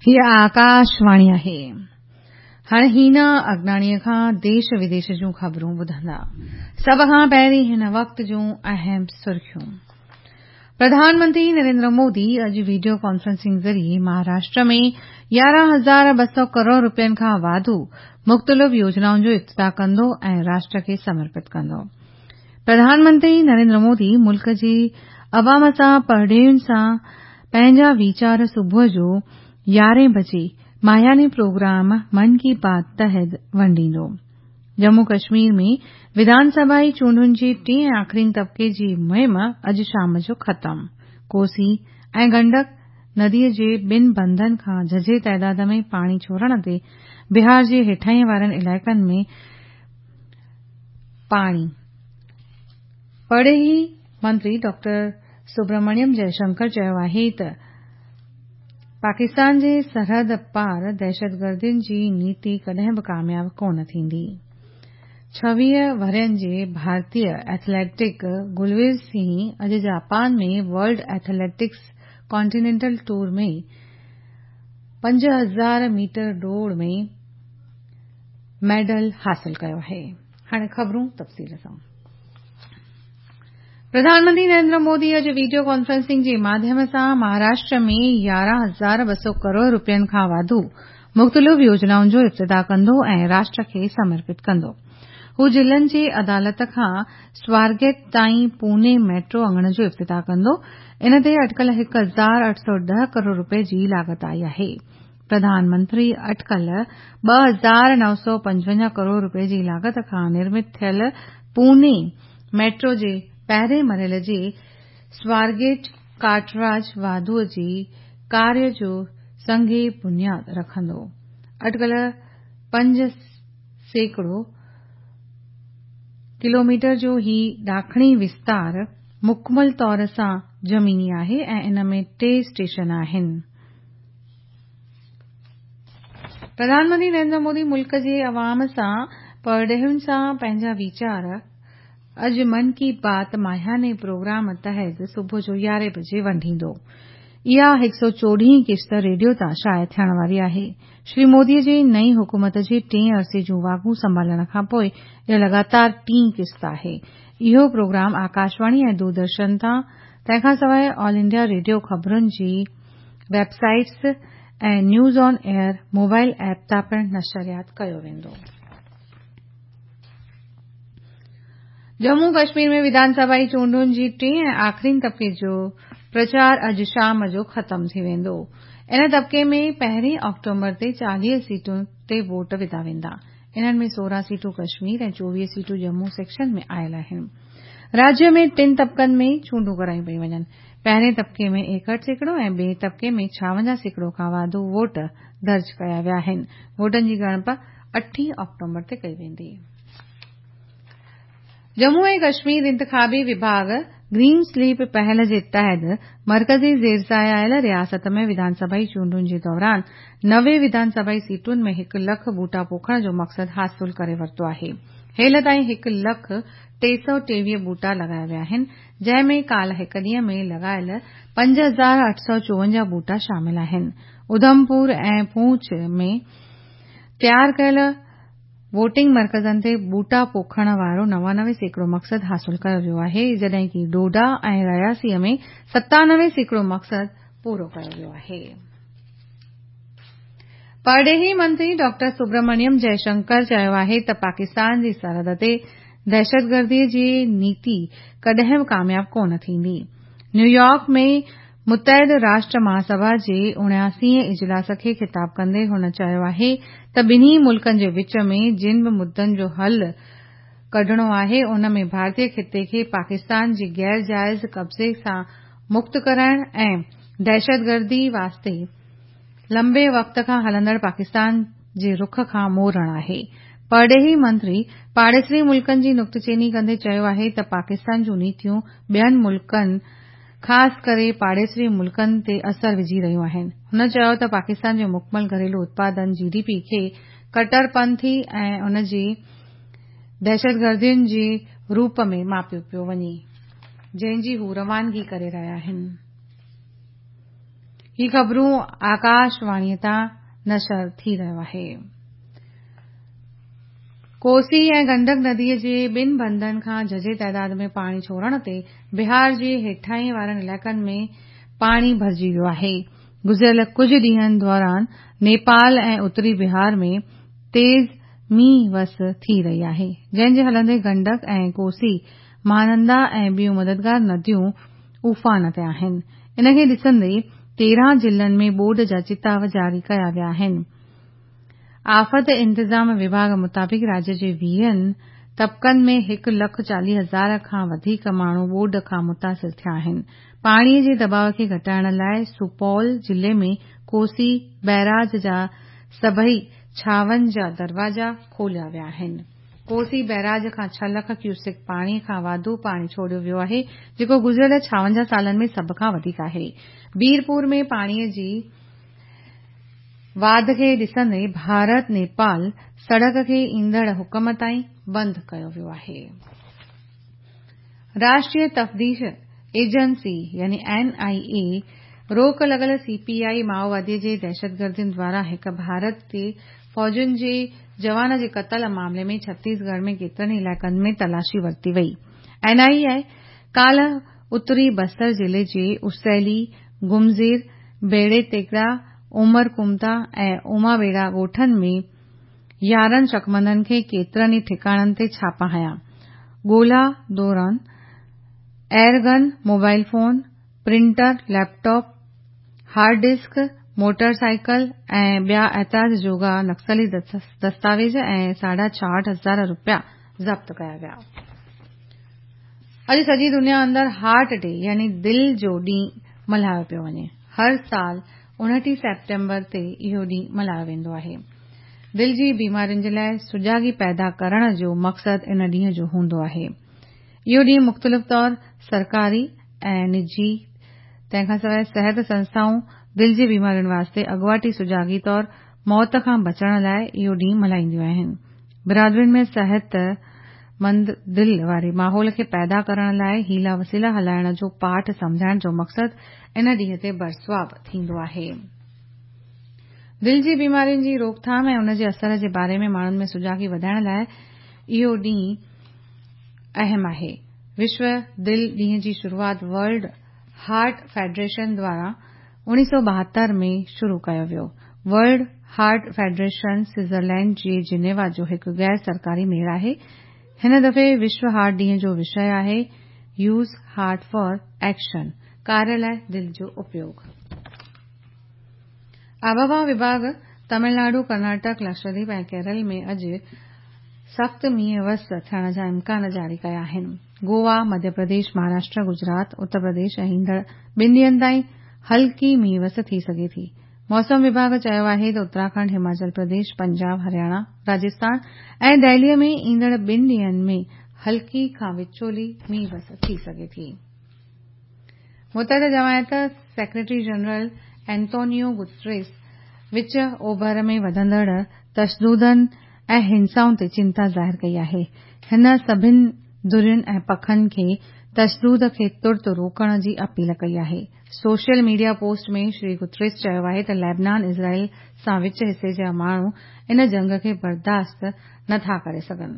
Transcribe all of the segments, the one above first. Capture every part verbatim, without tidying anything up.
हीअ आकाशवाणी आहे। हाणे हीना अगनाणीअ खां देश विदेश जूं ख़बरूं ॿुधंदा। सभ खां पहिरीं हिन वक़्त जूं अहम सुर्खियूं। प्रधानमंत्री नरेंद्र मोदी अॼु वीडियो कॉन्फ्रेंसिंग ज़रिए महाराष्ट्र में यारहं हज़ार ॿ सौ करोड़ रुपयनि खां वाधू मुख़्तलिफ़ योजनाउनि जो इफ़्तिताह कंदो ऐं राष्ट्र खे समर्पित कंदो। प्रधानमंत्री नरेंद्र मोदी मुल्क जे अवाम सां परॾेहियुनि सां पंहिंजा वीचार सुबुह जो यारहें बजे माहियानी प्रोग्राम मन की बात तहत वंडींदो। जम्मू कश्मीर में विधानसभाई चूंडुनि जे टिएं ऐं आख़िरीन तबिके जी मुहिम अॼु शाम जो ख़तम। कोसी ऐं गंडक नदीअ जे ॿिनि बंदनि खां झझे ताइदाद में पाणी छोड़ण ते बिहार जे हेठाहीं वारनि इलाइक़नि में पाणी। परॾेही मंत्री डॉक्टर सुब्रमण्यम जयशंकर चयो आहे त पाकिस्तान जे सरहद पार दहशतगर्दियुनि जी नीति कॾहिं बि कामयाब कोन थींदी। छवीह वरहियनि जे भारतीय एथलेटिक गुलवीर सिंह अॼु जापान में वर्ल्ड एथलेटिक्स कॉन्टिनेंटल टूर में पंज हज़ार मीटर दौड़ में मेडल हासिल कयो आहे। हाणे ख़बरूं तफ़सील सां। प्रधानमंत्री नरेंद्र मोदी अॼु वीडियो कॉन्फ्रेंसिंग जे माध्यम सां महाराष्ट्र में यारहं हज़ार ॿ सौ करोड़ रुपयनि खां वाधू मुख़्तलिफ़ योजनाउनि जो इफ़्तिताह कंदो ऐं राष्ट्र खे समर्पित कंदो। हू ज़िलनि जे अदालत खां स्वारगेट ताईं पुणे मेट्रो अंगण जो इफ़्तिताह कंदो। इन ते अटकल हिकु हज़ार अठ सौ ॾह करोड़ रुपये जी लागत आई आहे। प्रधानमंत्री अटकल ॿ हज़ार नव सौ पंजवंजाह करोड़ रुपये जी लागत खां निर्मित थियल पुणे मेट्रो जे पहिरें मरहले जे स्वारगेट काटराज वाधूअ जे कार्य जो संग बुनियाद रखंदो। अटकल पंज सैकड़ो किलोमीटर जो ही ॾाखणी विस्तार मुकमल तौर सां ज़मीनी आहे ऐं इन में टे स्टेशन आहिनि। प्रधानमंत्री नरेंद्र मोदी मुल्क जे अवाम सां परॾेहियुनि सां पंहिंजा वीचार अॼु मन की बात माहियाने प्रोग्राम तहत सुबुह जो यारहें बजे वंडींदो। इहा हिकु सौ चोॾहीं किश्त रेडियो तां शाया थियण वारी आहे। श्री मोदीअ जे नई हुकूमत जे टें अरसे जूं वागूं संभालण खां पोइ इहा लगातार टीं किश्त आहे। इहो प्रोग्राम आकाशवाणी ऐं दूरदर्शन तां तंहिंखां सवाइ ऑल इंडिया रेडियो ख़बरुनि जी वेबसाइट्स ऐं news on air mobile app तां पिणु नशरियात कयो वेंदो। जम्मू कश्मीर में विधानसभाई चूंडुनि जी टिएं ऐं आख़िरीन तबिके जो प्रचार अॼु शाम जो ख़तम थी वेंदो। इन तबिके में पहिरीं ऑक्टोबर ते चालीह सीटुनि ते वोट विधा वेंदा। इन्हनि में सोरहं सीटूं कश्मीर ऐं चोवीह सीटूं जम्मू सेक्शन में आयल आहिनि। राज्य में टिनि तबिकनि में चूंडूं करायूं पयूं वञनि। पहिरें तबिके में एकहठि सैकड़ो ऐं ॿिए तबिके में छावंजाह सैकड़ो खां वाधू वोट दर्ज कया विया आहिनि। वोटनि जी ॻणप अठीं ऑक्टोबर ते कई वेंदी। जम्मू ऐं कश्मीर इंतिख़ाबी विभाग ग्रीन स्लीप पहल जे तहत मर्कज़ी ज़ेर आयल रियासत में विधानसभाई चूंडुनि जे दौरान नवे विधानसभाई सीटुनि में हिकु लख ॿूटा पोखण जो मक़सदु हासिल करे वरितो आहे। हेल ताईं हिकु लख टे सौ टेवीह ॿूटा लॻाया विया आहिनि, जंहिं में काल्ह हिकु ॾींहं में लॻायल पंज हज़ार अठ सौ चोवंजाह ॿूटा शामिल आहिनि। उधमपुर ऐं पूंछ में तयार कयल वोटिंग मर्कज़नि ते ॿूटा पोखण वारो नवानवे सैकड़ो मक़सदु हासिल कयो वियो आहे, जॾहिं की डोडा ऐं रियासीअ में सतानवे सैकड़ो मक़सदु पूरो कयो वियो आहे। परॾेही मंत्री डॉक्टर सुब्रमण्यम जयशंकर चयो आहे त पाकिस्तान जी सरहद ते दहशतगर्दीअ जी नीति कॾहिं बि कामयाब कोन थींदी। न्यूयॉर्क में मुतहद राष्ट्र महासभा जे उणियासीं इजलास खे ख़िताब कंदे हुन चयो आहे त ॿिन्ही मुल्कनि जे विच में जिन बि मुद्दनि जो हल कढिणो आहे उन में भारतीय ख़िते खे पाकिस्तान जे गैर जाइज़ कब्ज़े सां मुक्त कराइण ऐं दहशतगर्दी वास्ते लंबे वक़्त खां हलंदड़ पाकिस्तान जे रुख खां मोड़णु आहे। परॾेही मंत्री पाड़ेसरी मुल्कनि जी नुक्तचीनी कंदे चयो आहे त पाकिस्तान जूं नीतियूं ॿियनि मुल्कनि ख़ासि करे पाड़ेसरी मुल्कनि ते असर विझी रहियूं आहिनि। हुन चयो त पाकिस्तान जो मुकमल घरेलू उत्पादन जी डी पी खे कटरपंथी ऐं उन जे दहशतगर्दियुनि जे रूप में मापियो पियो वञे, जंहिंजी हू रवानगी करे रहिया आहिनि। هي خبرون آڪاشواڻيء تان نشر ٿي رهيو آهي. ڪوسي ۽ گنڊڪ نديء جي ٻن بندن کان جهجهي تعداد ۾ پاڻي ڇوڙڻ تي بهار جي هيٺاهين وارن علائقن ۾ پاڻي ڀرجي ويو آهي. گذريل ڪجهه ڏينهن دوران نيپال ۽ اتري بهار ۾ تيز مينهن وس ٿي رهي آهي، جنهن جي هلندي گنڊڪ ۽ ڪوسي، مهانندا ۽ ٻيون مددگار نديون افان تي آهن. ان کي ڏسندي تيرهن ضلعن ۾ ٻوڏ جا چتاءُ جاري ڪيا ويا آهن. آفت انتظام وڀاڳ مطابق راجيه جي ويهن طبقن ۾ هڪ لک چاليهه هزار کان وڌيڪ ماڻهو ٻوڏ کان متاثر ٿيا آهن. پاڻيء جي دٻاءُ کي گهٽائڻ لاءِ سپول ضلعي ۾ ڪوسي بئراج جا سڀئي ڇاونجاهه دروازا کوليا ويا آهن. ڪوسي بئراج کان ڇهه لک ڪيوسڪ پاڻي کان واڌو پاڻي ڇوڙيو ويو آهي، جيڪو گذريل ڇاونجاهه سالن ۾ سڀ کان وڌيڪ آهي. بيرپور ۾ پاڻيء جي واڌ کي ڏسندي ڀارت نيپال سڙڪ کي ايندڙ حڪم تائين بند ڪيو ويو آهي. راشٽريه تفتيش ايجنسي يعني اين آءِ اي روڪ لڳل سي پي آءِ مائووادي جي دهشتگردن دواران هڪ ڀارتي فوجين جي جوان جي قتل معاملي ۾ ڇتيسڳڙهه ۾ ڪيترن ئي علائقن ۾ تلاشي ورتي وئي. اين آءِ اي ڪالهه اتري بستر ضلعي جي اسيلي، گمزير، بيڙي تيڪڙا، عمر ڪمتا ۽ اومابيڙا ڳوٺن ۾ يارهن شڪمندن کي ڪيترن ئي ٺڪاڻن تي ڇاپا هنيا. ڳولا دوران air gun, mobile phone, printer, laptop, hard disk, motorcycle ۽ ٻيا اعتراض جوڳا نڪسلي دستاويز ۽ ساڍا ڇاهٺ هزار رپيا ضبط ڪيا ويا. اڄ سڄي دنيا اندر هارٽ ڊي يعني دل جو ڏينهن ملهايو پيو وڃي. هر سال اڻٽيهه سيپٽمبر تي اهو ڏينهن ملهايو ويندو آهي. دل جي بيمارين جي لاءِ سجاڳي پيدا ڪرڻ جو مقصد ان ڏينهن جو هوندو آهي. اهو ڏينهن مختلف طور سرڪاري ۽ نجي تنهن کان سواءِ صحت سنسٿائون دل جي بيمارين واسطي اڳواٽي سجاڳي طور موت کان بچڻ لاءِ اهو ڏينهن ملهائينديون آهن. برادرين ۾ صحتمند دل واري ماحول کي پيدا ڪرڻ لاءِ حيلا وسيلا هلائڻ جو پاٺ سمجهائڻ جو مقصد ان ڏينهن تي برسواب ٿيندو آهي. دل جي بيمارين جي روڪٿام ۽ ان جي اثر جي باري ۾ ماڻهن ۾ سجاڳي وڌائڻ لاءِ اهو ڏينهن اهم آهي. وشو دل ڏينهن جي شروعات ورلڊ هارٽ فيڊريشن دواران اڻويهه سؤ ٻاهتر ۾ شروع ڪيو ويو. ورلڊ هارٽ فيڊريشن سوئٽزرلينڊ جي جنيوا جو هڪ غير سرڪاري ميڙ آهي. هن دفعي وشو هارٽ ڏينهن جو وشيه آهي يوز هارٽ فار ايڪشن، ڪاريه لاءِ دل جو اپيوگ. آبهوا وڀاڳ تامل ناڊو، ڪرناٽڪ، لڪشديپ ۽ ڪيرل ۾ اڄ سخت مينهن وس ٿيڻ جا امڪان جاري ڪيا آهن. گوا، مڌيه پرديش، مهاراشٽر، گجرات، اتر پرديش ۽ ايندڙ ٻن ڏينهن تائين هلڪي مينهن وس ٿي سگهي ٿي. موسم وڀاڳ چيو آهي ته اتراکنڊ، هماچل پرديش، پنجاب، هرياڻا، راجسٿان ۽ دهليءَ ۾ ايندڙ ٻن ڏينهن ۾ هلڪي کان وچولي مينهن وس ٿي سگهي ٿي. متحده جماعت سيڪريٽري جنرل اينتونيو گوتريس وچ اوڀر ۾ وڌندڙ تشددن ۽ هنسائن تي چنتا ظاهر ڪئي آهي. هن سڀني ڌرين ۽ پکن کي تشدد کي ترت روڪڻ جي اپيل ڪئي آهي. Social media post ۾ Shri Guterres چيو آهي ته ليبنان اسرائيل سان وچ حصي جا ماڻهو ان جنگ کي برداشت نٿا ڪري سگهن.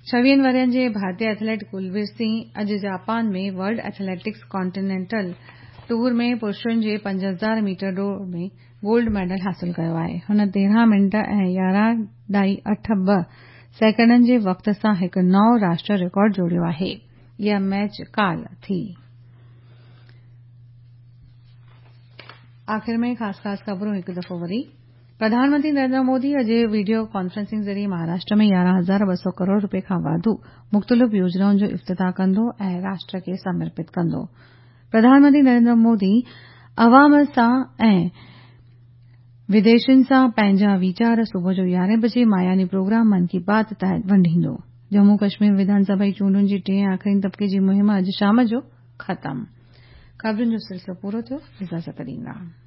ڇويهن ورهين جي ڀارتيه ايٿليٽ ڪلوير سنگهه اڄ Japan ۾ world athletics continental tour ۾ پرشن جي پنج هزار ميٽر ڊوڙ ۾ گولڊ ميڊل حاصل ڪيو آهي. هن تيرهن منٽ ۽ يارهن ڏهائي اٺ ٻه سيڪنڊن جي وقت سان هڪ نئون راشٽريه رڪارڊ جوڙيو آهي. اها ميچ ڪالهه ٿي. آخر ۾ خاص خاص خبرون هڪ دفعو وري. پرڌان منتري نريندر مودي اڄ وڊيو ڪانفرنسنگ ذريعي مهاراشٽر ۾ يارهن هزار ٻه سؤ ڪروڙ رپئي کان واڌو مختلف يوجنائن جو افتتاح ڪندو ۽ راشٽر کي سمرپت ڪندو. پرڌان منتري نريندر مودي عوام سان ۽ وديشين سان پنهنجا ويچار صبح جو يارهين بجي ماهياني پروگرام من ڪي بات تحت ونڊيندو. ڄمون ڪشمير وڌان سڀا جي چونڊن جي ٽئين آخرين طبقي جي مهم اڄ شام جو ختم. خبرن جو سلسلو پورو ٿيو. اجازت ڏيندا.